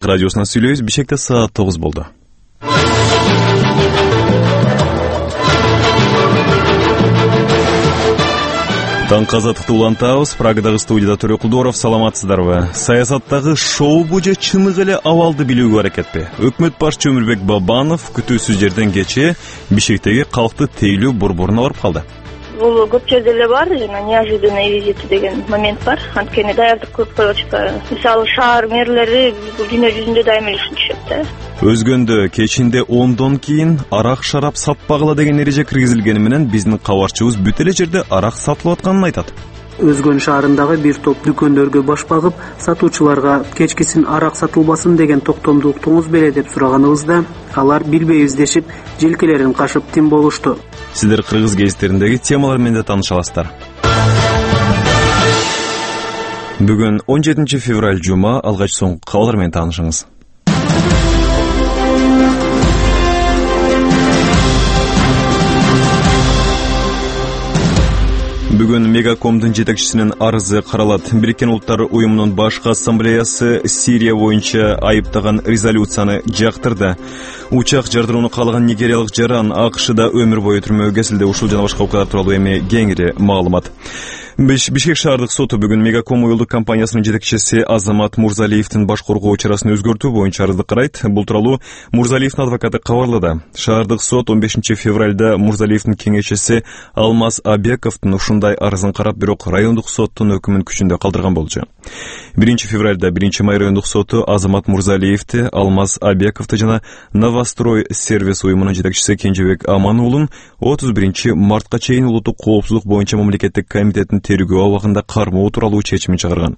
Радиосунан сүйлөйбүз. Бишкекте саат 9 болду. Таңкы азаттыкты улантабыз. Прагадагы студияда Төрө Кулдоров. Саламатсыздарбы? Саясаттагы шоу-бу же чыныгы эле абалды билүүгө аракетпи? Өкмөт башчы Өмүрбек Бабанов күтүүсүз жерден кечээ Бишкектеги калкты тейлөө борборуна барып калды. Бул көп жерде эле бар, жана неожиданный визит деген момент бар. Анткени даярдык көрүп коюп атышпайбы. Мисалы, шаар мэрлери бул дүйнө жүзүндө дайыма ишинишет да. Өзгөндө кечинде 10дон кийин арак шарап сатпагыла деген эреже киргизилгени менен биздин кабарчыбыз бүт эле жерде арак сатылып атканын айтат. Өзгөн шаарындагы бир топ дүкөндөргө баш багып, сатуучуларга кечкисин арак сатылбасын деген токтомду уктуңуз беле деп сураганыбызда, алар билбейбиз дешип, желкелерин кашып тим болушту. Сиздер кыргыз гезиттериндеги темалар менен тааныша аласыздар. Бүгүн 17 февраль жума, алгач соңку кабарлар менен таанышыңыз. Бүгүн Мегакомдун жетекчисинин арызы каралат. Бириккен Улуттар уюмунун башкы ассамблеясы Сирия боюнча айыптаган резолюцияны жактырды. Учак жардырууну каалаган нигериялык жаран АКШда өмүр бою түрмөгө кесилди. Ушул жана башка окуялар тууралуу эми кеңири маалымат. Бишкек шаардык соту бүгүн Мегаком уюлдук компаниясынын жетекчиси Азамат Мурзалиевдин баш коргоо чарасын өзгөртүү боюнча арызды карайт. Бул тууралуу Мурзалиевдин адвокаты кабарлады. Шаардык сот 15 февралда Мурзалиевдин кеңешчиси Алмаз Абековдун ушундай арызын карап, бирок райондук соттун өкүмүн күчүндө калтырган болчу. 1 февралда 1 май райондук соту Азамат Мурзалиевди, Алмаз Абековду жана Новострой сервис уюмунун жетекчиси Кенжебек Амануулун 31 мартка чейин улуттук коопсуздук боюнча мамлекеттик комитеттин тергөө абагында кармоо тууралуу чечимин чыгарган.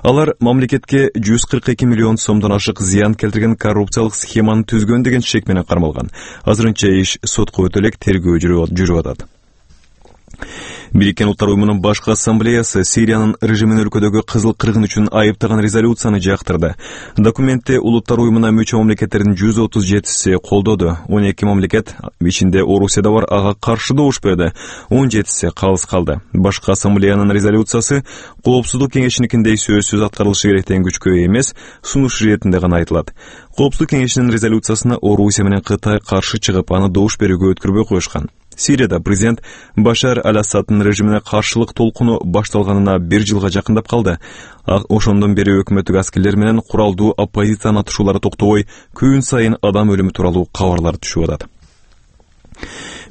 Алар мамлекетке 142 миллион сомдон ашык зыян келтирген коррупциялык схеманы түзгөн деген шек менен кармалган. Азырынча иш сотко өтө элек тергөө жүрүп атат. Бириккен Улуттар уюмунун башкы ассамблеясы Сириянын режимин өлкөдөгү кызыл кыргын үчүн айыптаган резолюцияны жактырды. Документте Улуттар уюмуна мүчө мамлекеттердин 137си колдоду. 12 мамлекет, ичинде Орусия да бар, ага каршы добушпады. 17си калыс калды. Башкы ассамблеянын резолюциясы Коопсуздук кеңешиникиндей сөзсүз аткарылышы керек деген күчкө эмес, сунуш иретинде гана айтылат. Коопсуздук кеңешинин резолюциясына Орусия менен Кытай каршы чыгып, аны добуш берүүгө өткөрбөй коюшкан. Сирияда президент Башар аль-Асаддын режимине каршылык толкуну башталганына 1 жылга жакындап калды. Ошондон бери өкмөттүк аскерлер менен куралдуу оппозициянын атышуулары токтобой, күн сайын адам өлүмү тууралуу кабарлар түшүп атат.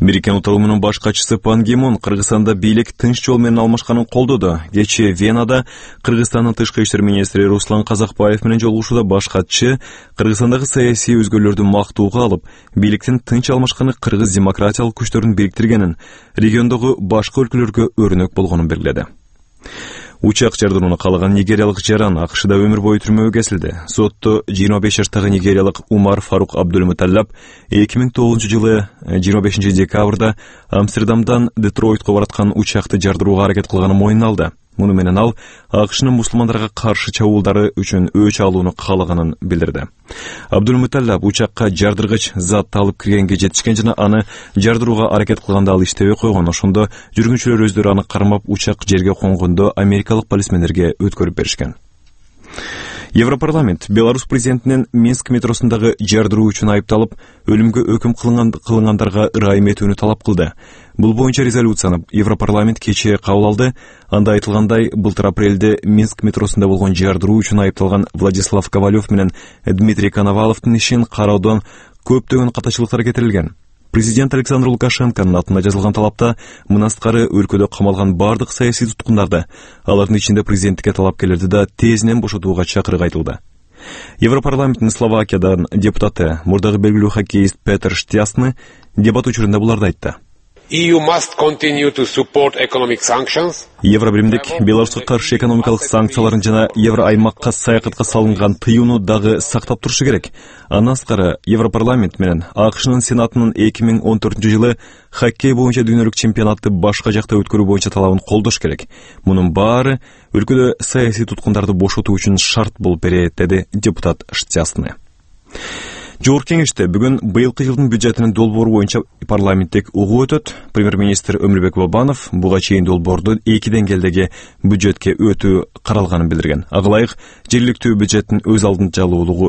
Бириккен Улуттар уюмунун баш катчысы Пан Ги Мун Кыргызстанда бийлик тынч жол менен алмашканын колдоду. Кечээ Венада Кыргызстандын тышкы иштер министри Руслан Казакбаев менен жолугушууда баш катчы Кыргызстандагы саясий өзгөрүүлөрдү мактоого алып, бийликтин тынч алмашканы кыргыз демократиялык күчтөрүн бириктиргенин, региондогу башка өлкөлөргө өрнөк болгонун белгиледи. Учак жардырууну каалаган нигериялык жаран АКШда өмүр бою түрмөгө кесилди. Сотто 25 жаштагы нигериялык Умар Фарук Абдулмуталлап 2009 жылы 25 декабрда Амстердамдан Детройтко бараткан учакты жардырууга аракет кылганын мойнуна алды. Муну менен ал АКШнын мусулмандарга каршы чабуулдары үчүн өч алууну каалаганын билдирди. Абдулмуталлап учакка жардыргыч затты алып киргенге жетишкен жана аны жардырууга аракет кылганда ал иштебей койгон. Ошондо жүргүнчүлөр өздөрү аны кармап, учак жерге конгондо америкалык полисмендерге өткөрүп беришкен. Европарламент Беларусь президентинин Минск метросундагы жардыруу үчүн айыпталып, өлүмгө өкүм кылынгандарга ырайым этүүнү талап кылды. Бул боюнча резолюцияны Европарламент кечээ кабыл алды. Анда айтылгандай, былтыр апрелде Минск метросунда болгон жардыруу үчүн айыпталган Владислав Ковалев менен Дмитрий Коноваловдун ишин кароодон көптөгөн катачылыктар кетирилген. Президент Александр Лукашенконун атына жазылган талапта мынастыркары өлкөдө камалган бардык саясий туткундарды, алардын ичинде президенттикке талапкерлерди да тезинен бошотууга чакырык айтылды. Европарламенттин Словакиядан депутаты, мурдагы белгилүү хоккеист Петер Штясны дебат учурунда буларды айтты. EU must continue to support economic sanctions. Евробиримдик Беларуска каршы экономикалык санкцияларын жана евро аймакка саякатка салынган тыюуну дагы сактап турушу керек. Андан сырткары Европарламент менен АКШнын Сенатынын 2014 жылы хоккей боюнча дүйнөлүк чемпионатты башка жакта өткөрүү боюнча талабын колдош керек. Мунун баары өлкөдө саясий туткундарды бошотуу үчүн шарт болуп берет, деди депутат Штясны. Жогорку кеңеште бүгүн быйылкы жылдын бюджетинин долбоору боюнча парламенттик угуу өтөт. Премьер-министр Өмүрбек Бабанов буга чейин долбоорду 2 деңгээлдеги бюджетке өтүү каралганын билдирген. Ага ылайык жергиликтүү бюджеттин өз алдынчалуулугу